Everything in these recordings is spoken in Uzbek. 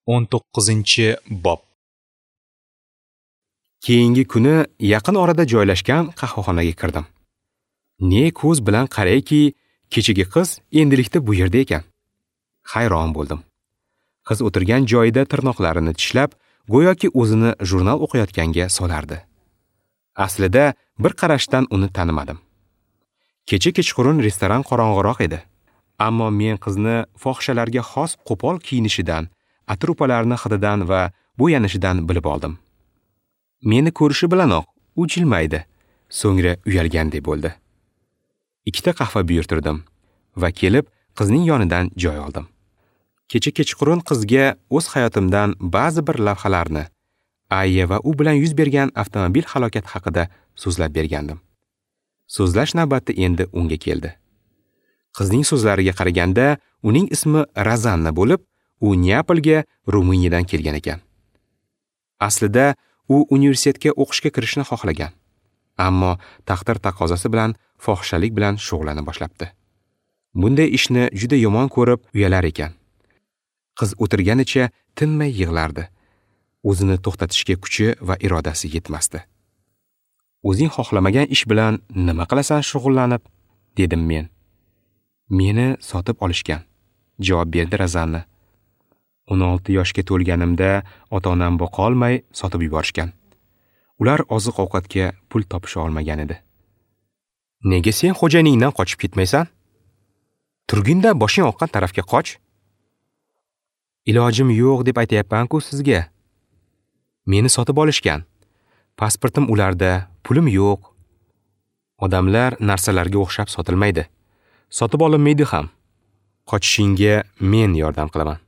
19-bob. Keyingi kuni yaqin orada joylashgan qahvaxonaga kirdim. Ne ko'z bilan qarayki, kechagi qiz endilikda bu yerda ekan. Hayron bo'ldim. Qiz o'tirgan joyida tirnoqlarini tishlab, go'yoki o'zini jurnal o'qiyotganga solardi. Aslida bir qarashdan uni tanimadim. Kecha kechqurun restoran qorong'iroq edi. Ammo men qizni fohishalarga xos qo'pol kiyinishidan, atir-upalarni hididan va bo'yanishidan bilib oldim. Meni ko'rishi bilanoq u jilmaydi, so'ngra uyalgandek bo'ldi. 2 ta qahva buyurtirdim va kelib qizning yonidan joy oldim. Kecha kechqurun qizga o'z hayotimdan ba'zi bir lavhalarni, Ayya va u bilan yuz bergan avtomobil halokati haqida so'zlab bergandim. So'zlash navbati endi unga keldi. Qizning so'zlariga qaraganda, uning ismi Razanna bo'lib, u Neapolga Ruminiyadan kelgan ekan. Aslida u universitetga o'qishga kirishni xohlagan, ammo taqdir taqozosi bilan fohishalik bilan shug'ullana boshlabdi. Bunday ishni juda yomon ko'rib uyalar ekan. Qiz o'tirganicha tinmay yig'lardi. O'zini to'xtatishga kuchi va irodasi yetmasdi. O'zing xohlamagan ish bilan nima qilasan shug'ullanib, dedim men. Meni sotib olishgan, javob berdi Razanna. 16 yoshga to'lganimda ota-onam boqolmay sotib yuborishgan. Ular oziq-ovqatga pul topisha olmagan edi. Nega sen xo'jayiningdan qochib ketmaysan? Turginda boshing oqqan tarafga qoch. Ilojim yo'q deb aytayapman-ku sizga. Meni sotib olishgan. Pasportim ularda, pulim yo'q. Odamlar narsalarga o'xshab sotilmaydi. Sotib olinmaydi ham. Qochishingga men yordam qilaman.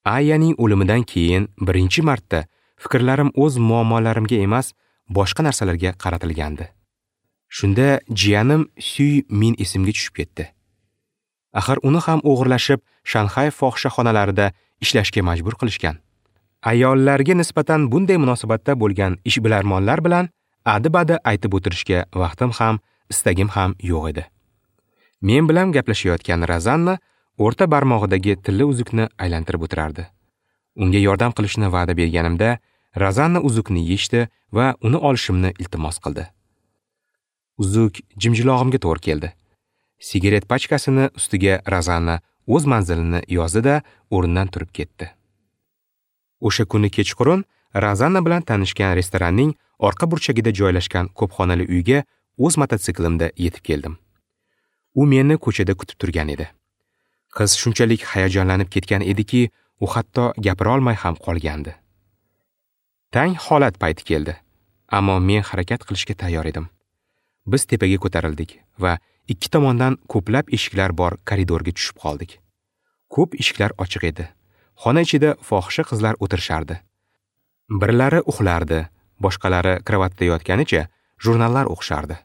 Ayyaning o'limidan keyin birinchi marta fikrlarim o'z muammolarimga emas, boshqa narsalarga qaratilgandi. Shunda jiyanim Suy Min esimga tushib ketdi. Axir uni ham o'g'irlashib, Shanxay fohishaxonalarida ishlashga majbur qilishgan. Ayollarga nisbatan bunday munosabatda bo'lgan ishbilarmonlar bilan adi-badi aytib o'tirishga vaqtim ham, istagim ham yo'q edi. Men bilan gaplashayotgan Razanna o'rta barmog'idagi tilla uzukni aylantirib o'tirardi. Unga yordam qilishni va'da berganimda, Razanna uzukni yechdi va uni olishimni iltimos qildi. Uzuk jimjilog'imga to'g'ri keldi. Sigaret pachkasini ustiga Razanna o'z manzilini yozdi-da, o'rnidan turib ketdi. O'sha kuni kechqurun Razanna bilan tanishgan restoranning orqa burchagida joylashgan ko'p xonali uyga o'z mototsiklimda yetib keldim. U meni ko'chada kutib turgan edi. Qiz shunchalik hayajonlanib ketgan ediki, u hatto gapira olmay ham qolgandi. Tang holat payti keldi, ammo men harakat qilishga tayyor edim. Biz tepaga ko'tarildik va ikki tomondan ko'plab eshiklar bor koridorga tushib qoldik. Ko'p eshiklar ochiq edi. Xona ichida fohisha qizlar o'tirishardi. Birlari uxlardi, boshqalari kravatda yotganicha jurnallar o'qishardi.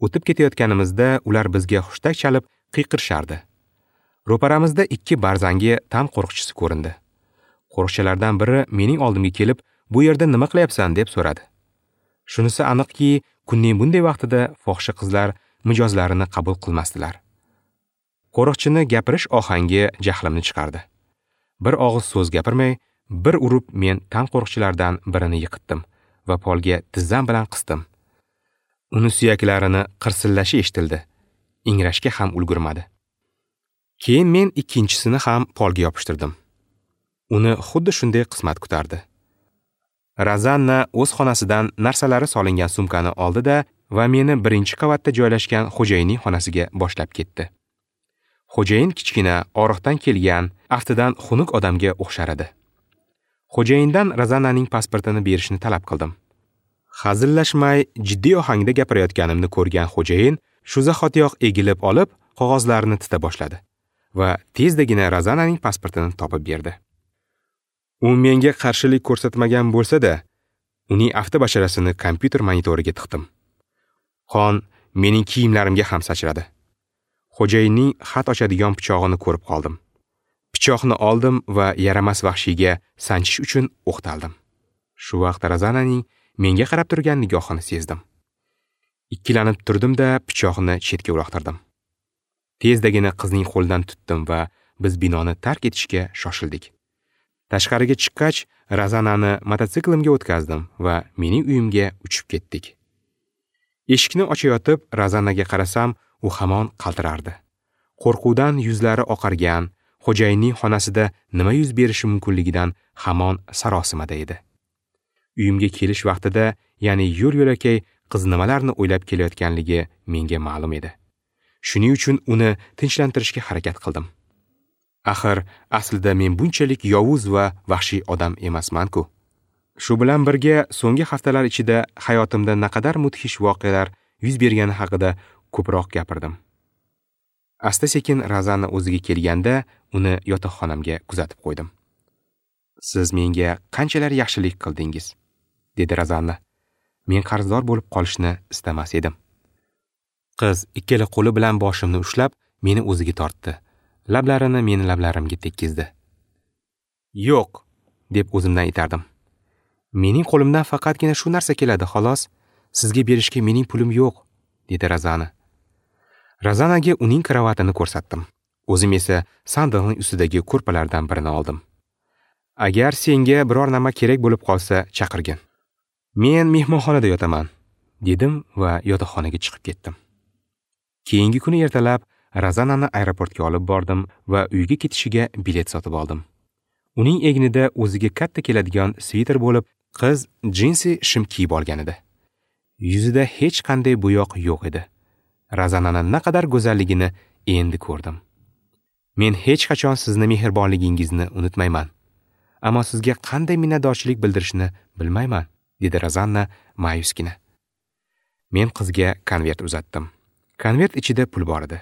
O'tib ketayotganimizda ular bizga hushtak chalib qiyqirishardi. Ro'paramizda 2 barzangi tam qo'riqchisi ko'rindi. Qo'riqchilardan biri mening oldimga kelib, "Bu yerda nima qilyapsan?" deb so'radi. Shunisi aniqki, kunning bunday vaqtida fohisha qizlar mijozlarini qabul qilmasdilar. Qo'riqchini gapirish ohangi jahlimni chiqardi. Bir og'iz so'z gapirmay, bir urib men tam qo'riqchilardan birini yiqitdim va polga tizzam bilan qisdim. Uni suyaklarini qirsillashi eshitildi. Ingrashga ham ulgurmadi. Keyin men ikkinchisini ham polga yopishtirdim. Uni xuddi shunday qismat kutardi. Razanna o'z xonasidan narsalari solingan sumkani oldi-da va meni birinchi qavatda joylashgan xo'jayinning xonasiga boshlab ketdi. Xo'jayin kichkina, oriqdan kelgan, aftidan xunuk odamga o'xshar edi. Xo'jayindan Razannaning pasportini berishni talab qildim. Hazillashmay, jiddiy ohangda gapirayotganimni ko'rgan xo'jayin shu zahotiyoq egilib olib, qog'ozlarini tita boshladi va tezdagina Razannaning pasportini topib berdi. U menga qarshilik ko'rsatmagan bo'lsa-da, uning avtobasharasini kompyuter monitoriga tiqdim. Qon mening kiyimlarimga ham sachradi. Xo'jayinning xat ochadigan pichog'ini ko'rib qoldim. Pichoqni oldim va yaramas vahshiyga sanchish uchun o'qtaldim. Shu vaqt Razannaning menga qarab turgan nigohini sezdim. Ikkilanib turdim-da, pichoqni chetga uloqtirdim. Tezdagina qizning qo'lidan tutdim va biz binoni tark etishga shoshildik. Tashqariga chiqqach, Razanani mototsiklimga o'tkazdim va mening uyimga uchib ketdik. Eshikni ochayotib Razanaga qarasam, u hamon qaltirardi. Qo'rquvdan yuzlari oqargan, xo'jayinning xonasida nima yuz berishi mumkinligidan hamon sarosimada edi. Uyimga kelish vaqtida, ya'ni yo'l-yo'lakay qiz nimalarni o'ylab kelayotganligi menga ma'lum edi. Shuning uchun uni tinchlantirishga harakat qildim. Axir, aslida men bunchalik yovuz va vahshiy odam emasman-ku. Shu bilan birga so'nggi haftalar ichida hayotimda naqadar mudhish voqealar yuz bergani haqida ko'proq gapirdim. Asta-sekin Razana o'ziga kelganda uni yotoqxonamga kuzatib qo'ydim. "Siz menga qanchalar yaxshilik qildingiz?" dedi Razana. Men qarzdor bo'lib qolishni istamas edim. Qiz ikkala qo'li bilan boshimni ushlab, meni o'ziga tortdi. Lablarini meni lablarimga tekkizdi. "Yo'q", deb o'zimdan itardim. "Mening qo'limdan faqatgina shu narsa keladi, xolos. Sizga berishga mening pulim yo'q", dedi Razana. Razanaga uning kravatini ko'rsatdim. O'zim esa sandiqning ustidagi ko'rpalardan birini oldim. "Agar senga biror nima kerak bo'lib qolsa, chaqirgin. Men mehmonxonada yotaman", dedim va yotoqxonaga chiqib ketdim. Keyingi kuni ertalab Razanani aeroportga olib bordim va uyga ketishiga bilet sotib oldim. Uning egnida o'ziga katta keladigan sviter bo'lib, qiz jinsi shim kiyib olgan edi. Yuzida hech qanday bo'yoq yo'q edi. Razanani naqadar go'zalligini endi ko'rdim. Men hech qachon sizni mehribonligingizni unutmayman. Ammo sizga qanday minnatdorchilik bildirishni bilmayman, dedi Razanna ma'yusgina. Men qizga konvert uzatdim. Konvert ichida pul bor edi.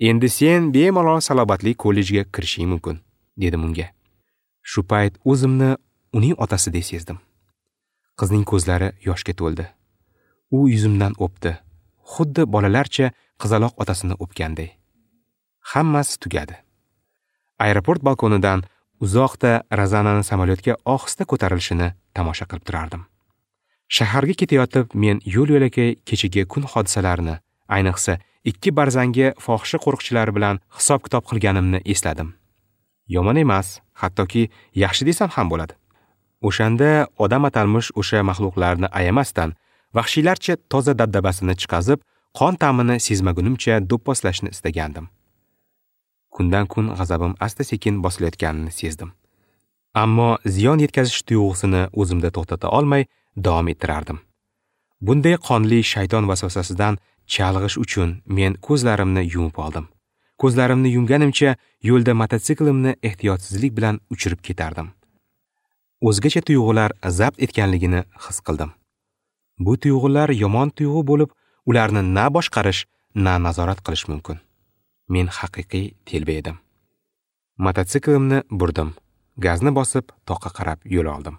"Endi sen bemalol salobatli kollejga kirishing mumkin", dedim unga. Shu payt o'zimni uning otasidek sezdim. Qizning ko'zlari yoshga to'ldi. U yuzimdan o'pdi, xuddi bolalarcha qizaloq otasini o'pganday. Hammasi tugadi. Aeroport balkonidan uzoqda Razanani samolyotga ohista ko'tarilishini tomosha qilib turardim. Shaharga ketayotib men yo'l-yo'lakay kechagi kun hodisalarini, ayniqsa ikki barzangi fohisha qo'riqchilari bilan hisob-kitob qilganimni esladim. Yomon emas, hattoki yaxshi desam ham bo'ladi. O'shanda odam atalmish o'sha maxluqlarni ayamasdan vahshiylarcha toza dabdabasini chiqazib, qon ta'mini sezmagunimcha do'pposlashni istagandim. Kundan kun g'azabim asta-sekin bosilayotganini sezdim. Ammo ziyon yetkazish tuyg'usini o'zimda to'xtata olmay davom ettirardim. Bunday qonli shayton vasvasasidan chalg'ish uchun men ko'zlarimni yumib oldim. Ko'zlarimni yumganimcha yo'lda mototsiklimni ehtiyotsizlik bilan uchirib ketardim. O'zgacha tuyg'ular zabt etganligini his qildim. Bu tuyg'ular yomon tuyg'u bo'lib, ularni na boshqarish, na nazorat qilish mumkin. Men haqiqiy telba edim. Mototsiklimni burdim. Gazni bosib, toqqa qarab yo'l oldim.